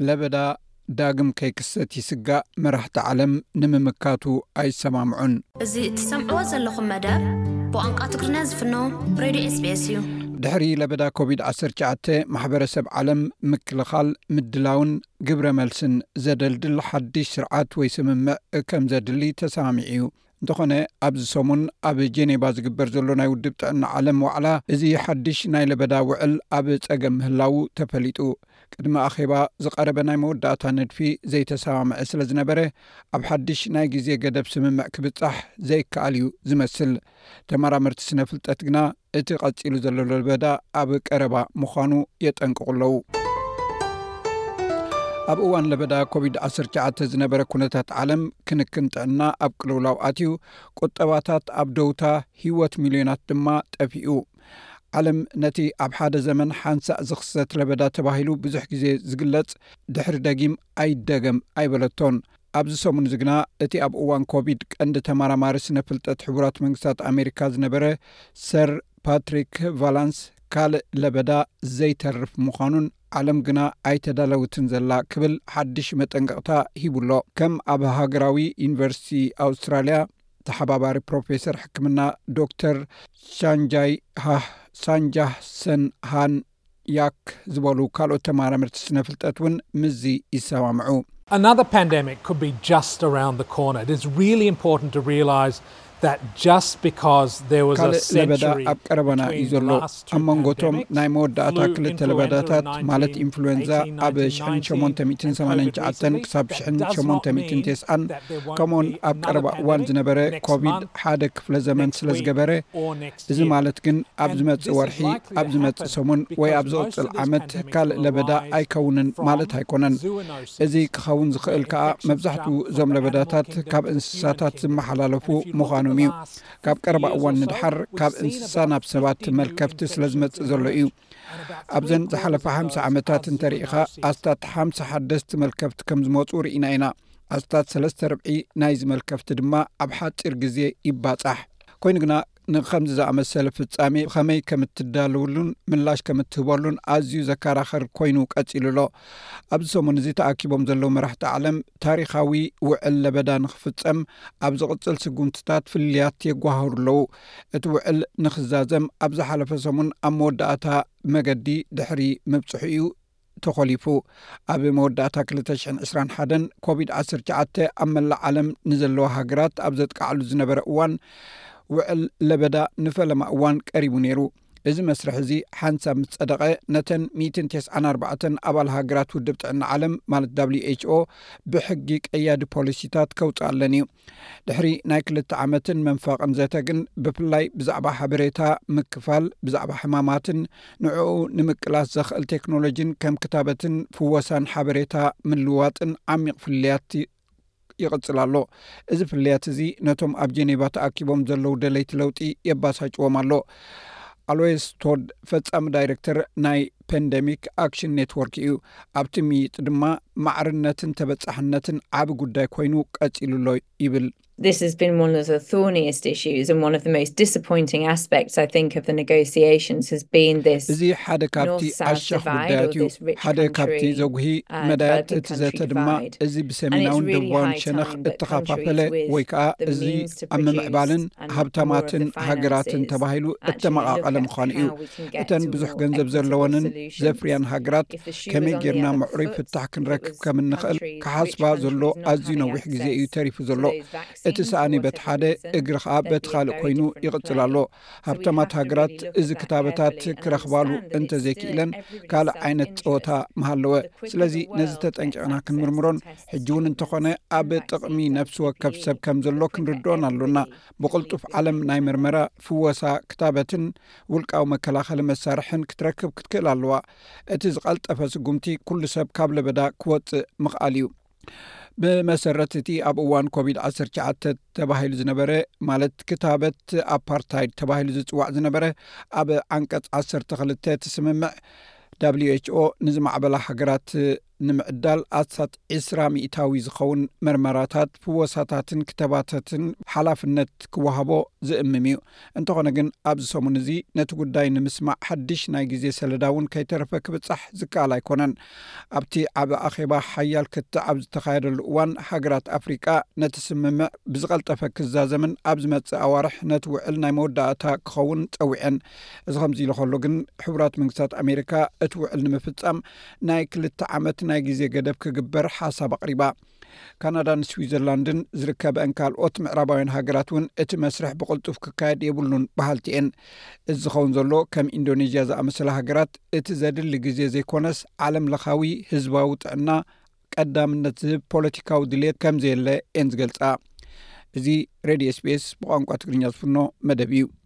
ለበዳ ዳግም ከይክሰት ይስጋእ፣ መራሕቲ ዓለም ንምምካቱ ኣይሰማምዑን። እዚ እትሰምዕዎ ዘለኹም መደብ ብቋንቋ ትግርኛ ዝፍኖ ሬድዮ ኤስቢኤስ እዩ። ድሕሪ ለበዳ ኮቪድ ዓሰርተ ትሽዓተ፣ ማሕበረሰብ ዓለም ምክልኻል፣ ምድላውን ግብረ መልስን ዘደልድል ሓድሽ ስርዓት ወይ ስምምዕ ከም ዘድሊ ተሰማሚዑ እዩ። እንተኾነ፣ ኣብዚ ሰሙን ኣብ ጄኔቫ ዝግበር ዘሎ ናይ ውድብ ጥዕና ዓለም ዋዕላ፣ እዚ ሓድሽ ናይ ለበዳ ውዕል ኣብ ጸገም ምህላዉ ተፈሊጡ። ቅድሚ ኣኼባ ዝቐረበ ናይ መወዳእታ ንድፊ ዘይተሰማምዐ ስለ ዝነበረ፣ ኣብ ሓድሽ ናይ ግዜ ገደብ ስምምዕ ክብጻሕ ዘይከኣል እዩ ዝመስል። ተመራመርቲ ስነ ፍልጠት ግና፣ እቲ ቀጺሉ ዘሎ ለበዳ ኣብ ቀረባ ምዃኑ የጠንቅቑ ኣለዉ። ኣብ እዋን ለበዳ ኮቪድ ዓሰርተ ትሽዓተ ዝነበረ ኩነታት ዓለም፣ ክንክን ጥዕና ኣብ ቅልውላው ኣትዩ፣ ቁጠባታት ኣብ ደውታ፣ ህይወት ሚልዮናት ድማ ጠፊኡ። ዓለም ነቲ ኣብ ሓደ ዘመን ሓንሳእ ዝኽሰት ለበዳ ተባሂሉ ብዙሕ ግዜ ዝግለጽ፣ ድሕሪ ደጊም ኣይደገም ኣይበለቶን። ኣብዚ ሰሙን እዚ ግና፣ እቲ ኣብ እዋን ኮቪድ ቀንዲ ተመራማሪ ስነ ፍልጠት ሕቡራት መንግስታት ኣሜሪካ ዝነበረ ሰር ፓትሪክ ቫላንስ፣ ካልእ ለበዳ ዘይተርፍ ምዃኑን፣ ዓለም ግና ኣይተዳለውትን ዘላ ክብል ሓድሽ መጠንቀቕታ ሂቡ ኣሎ። ከም ኣብ ሃገራዊ ዩኒቨርሲቲ ኣውስትራልያ ተሓባባሪ ፕሮፌሰር ሕክምና ዶክተር ሳንጃይ ሃህ ሳንጃህ ሰን ሃን ያክ ዝበሉ ካልኦት ተመራመርቲ ስነ ፍልጠት እውን ምስዚ ይሰማምዑ። Another pandemic could be just around the corner. It is really important to realise that just because there was a ካልእ ለበዳ century ኣብ ቀረባና እዩ between ዘሎ። last two ኣብ መንጎቶም pandemics, ናይ መወዳእታ flu ክልተ influenza ለበዳታት in ማለት nineteen ኢንፍሉዌንዛ eighteen ኣብ ninety ሽሕን ሸሞንተ ሚእትን ሰማንያን ትሽዓተን ክሳብ ሽሕን ሸሞንተ ሚእትን ተስዓን ከምኡውን ኣብ ቀረባ እዋን ዝነበረ ኮቪድ ሓደ ክፍለ ዘመን ስለ ዝገበረ፣ እዚ ማለት ግን ኣብ ዝመጽእ ወርሒ፣ ኣብ ዝመጽእ ሰሙን ወይ ኣብ ዝቕጽል ዓመት ካልእ ለበዳ ኣይከውንን ማለት ኣይኮነን። እዚ ክኸውን ዝኽእል ከኣ መብዛሕትኡ እዞም ለበዳታት ካብ እንስሳታት ዝመሓላለፉ ምዃኖም እዩ። ካብ ቀረባ እዋን ንድሓር ካብ እንስሳ ናብ ሰባት መልከፍቲ ስለ ዝመጽእ ዘሎ እዩ። ኣብዘን ዝሓለፋ ሓምሳ ዓመታት እንተሪኢኻ፣ ኣስታት ሓምሳ ሓደስቲ መልከፍቲ ከም ዝመጹ ርኢና ኢና። ኣስታት ሰለስተ ርብዒ ናይዚ መልከፍቲ ድማ ኣብ ሓጺር ግዜ ይባጻሕ። ኮይኑ ግና፣ ንኸምዚ ዝኣመሰለ ፍጻሜ ብኸመይ ከም እትዳለውሉን ምላሽ ከም እትህበሉን ኣዝዩ ዘከራኸር ኮይኑ ቀጺሉ ኣሎ። ኣብዚ ሰሙን እዚ ተኣኪቦም ዘለዉ መራሕቲ ዓለም፣ ታሪኻዊ ውዕል ለበዳ ንኽፍጸም ኣብ ዝቕጽል ስጉምትታት ፍልልያት የጓህሩ ኣለዉ። እቲ ውዕል ንኽዛዘም ኣብ ዝሓለፈ ሰሙን ኣብ መወዳእታ መገዲ ድሕሪ ምብጽሑ እዩ ተኾሊፉ። ኣብ መወዳእታ ክልተ ሽሕን ዕስራን ሓደን ኮቪድ ዓሰርተ ትሽዓተ ኣብ መላእ ዓለም ንዘለዋ ሃገራት ኣብ ዘጥቃዕሉ ዝነበረ እዋን፣ ውዕል ለበዳ ንፈለማ እዋን ቀሪቡ ነይሩ። እዚ መስርሕ እዚ ሓንሳብ ምስ ጸደቐ፣ ነተን ሚእትን ተስዓን ኣርባዕተን ኣባል ሃገራት ውድብ ጥዕና ዓለም፣ ማለት ደብሊው ኤች ኦ፣ ብሕጊ ቀያዲ ፖሊሲታት ከውጽኣለን እዩ። ድሕሪ ናይ ክልተ ዓመትን መንፋቕን ዘተ ግን፣ ብፍላይ ብዛዕባ ሓበሬታ ምክፋል፣ ብዛዕባ ሕማማትን ንዕኡ ንምቅላስ ዘኽእል ቴክኖሎጂን ከም ክታበትን ፍወሳን ሓበሬታ ምልዋጥን ዓሚቕ ፍልልያት ይቕጽል ኣሎ። እዚ ፍልልያት እዚ ነቶም ኣብ ጄኔቫ ተኣኪቦም ዘለዉ ደለይቲ ለውጢ የባሳጭዎም ኣሎ። ኣሎይስ ቶድ፣ ፈጻሚ ዳይሬክተር ናይ ፓንደሚክ ኣክሽን ኔትወርክ እዩ። ኣብቲ ምይይጥ ድማ፣ ማዕርነትን ተበጻሕነትን ዓቢ ጉዳይ ኮይኑ ቀጺሉ ኣሎ ይብል። This has been one of the thorniest issues and one of the most disappointing aspects, I think, of the negotiations has been this. እዚ ሓደ ካብቲ ኣሻኽ ጉዳያት እዩ። ሓደ ካብቲ ዘጉሂ መዳያት እቲ ዘተ ድማ፣ እዚ ብሰሜናውን ደቡባውን ሸነኽ እተኸፋፈለ ወይ ከዓ እዚ ኣብ ምምዕባልን ሃብታማትን ሃገራትን ተባሂሉ እተመቓቐለ ምዃኑ እዩ። እተን ብዙሕ ገንዘብ ዘለወንን ዘፍርያን ሃገራት፣ ከመይ ጌርና ምዕሩይ ፍታሕ ክንረክብ ከም እንኽእል ክሓስባ ዘሎ ኣዝዩ ነዊሕ ግዜ እዩ ተሪፉ ዘሎ። እቲ ሰኣኒ በቲ ሓደ፣ እግሪ ኸኣ በቲ ካልእ ኮይኑ ይቕጽል ኣሎ። ሃብታማት ሃገራት እዚ ክታበታት ክረኽባሉ እንተዘይክኢለን፣ ካልእ ዓይነት ጸወታ ምሃለወ። ስለዚ ነዚ ተጠንቂቕና ክንምርምሮን፣ ሕጂ እውን እንተኾነ ኣብ ጥቕሚ ነፍሲ ወከፍ ሰብ ከም ዘሎ ክንርድኦን ኣሎና። ብቕልጡፍ ዓለም ናይ መርመራ፣ ፍወሳ፣ ክታበትን ውልቃዊ መከላኸሊ መሳርሕን ክትረክብ ክትክእል ኣለዋ። እቲ ዝቐልጠፈ ስጉምቲ፣ ኩሉ ሰብ ካብ ለበዳ ክወጽእ ምኽኣል እዩ። ብመሰረት እቲ ኣብ እዋን ኮቪድ ዓሰርተ ትሽዓተ ተባሂሉ ዝነበረ፣ ማለት ክታበት ኣፓርታይድ ተባሂሉ ዝጽዋዕ ዝነበረ፣ ኣብ ዓንቀጽ ዓሰርተ ክልተ እቲ ስምምዕ፣ ደብሊው ኤች ኦ ንዝማዕበላ ሃገራት ንምዕዳል ኣስታት ዕስራ ሚእታዊ ዝኸውን መርመራታት፣ ፍወሳታትን ክተባታትን ሓላፍነት ክወሃቦ ዝእምም እዩ። እንተኾነ ግን፣ ኣብዚ ሰሙን እዚ ነቲ ጉዳይ ንምስማዕ ሓድሽ ናይ ግዜ ሰለዳ እውን ከይተረፈ ክብጻሕ ዝከኣል ኣይኮነን። ኣብቲ ዓቢ ኣኼባ ሓያል ክትዕ ኣብ ዝተኻየደሉ እዋን፣ ሃገራት ኣፍሪቃ ነቲ ስምምዕ ብዝቐልጠፈ ክዛዘምን ኣብ ዝመጽእ ኣዋርሕ ነቲ ውዕል ናይ መወዳእታ ክኸውን ጸዊዐን። እዚ ከምዚ ኢሉ ከሎ ግን፣ ሕቡራት መንግስታት ኣሜሪካ እቲ ውዕል ንምፍጻም ናይ ክልተ ዓመት ናይ ግዜ ገደብ ክግበር ሓሳብ ኣቕሪባ። ካናዳን ስዊዘርላንድን ዝርከበአን ካልኦት ምዕራባውያን ሃገራት እውን እቲ መስርሕ ብቕልጡፍ ክካየድ የብሉን በሃልቲ እየን። እዚ ዝኸውን ዘሎ፣ ከም ኢንዶኔዥያ ዝኣመሰላ ሃገራት እቲ ዘድሊ ግዜ ዘይኮነስ፣ ዓለም ለኻዊ ህዝባዊ ጥዕና ቀዳምነት ዝህብ ፖለቲካዊ ድሌት ከም ዘየለ እየን ዝገልጻ። እዚ ሬድዮ ኤስቢኤስ ብቋንቋ ትግርኛ ዝፍኖ መደብ እዩ።